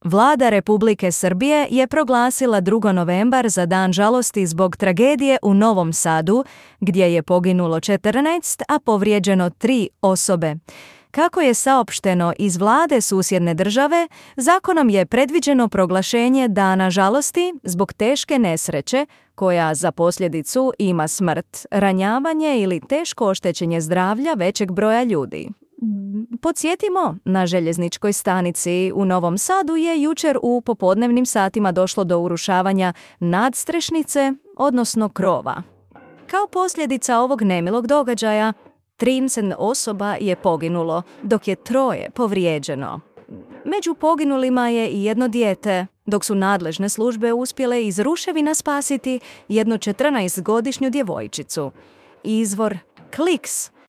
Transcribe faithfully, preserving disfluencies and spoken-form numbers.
Vlada Republike Srbije je proglasila drugi novembar za dan žalosti zbog tragedije u Novom Sadu, gdje je poginulo četrnaest, a povrijeđeno tri osobe. Kako je saopšteno iz vlade susjedne države, zakonom je predviđeno proglašenje dana žalosti zbog teške nesreće koja za posljedicu ima smrt, ranjavanje ili teško oštećenje zdravlja većeg broja ljudi. Podsjetimo, na željezničkoj stanici u Novom Sadu je jučer u popodnevnim satima došlo do urušavanja nadstrešnice, odnosno krova. Kao posljedica ovog nemilog događaja, trideset osoba je poginulo, dok je troje povrijeđeno. Među poginulima je i jedno dijete, dok su nadležne službe uspjele iz ruševina spasiti jednu četrnaestogodišnju djevojčicu. Izvor Kliks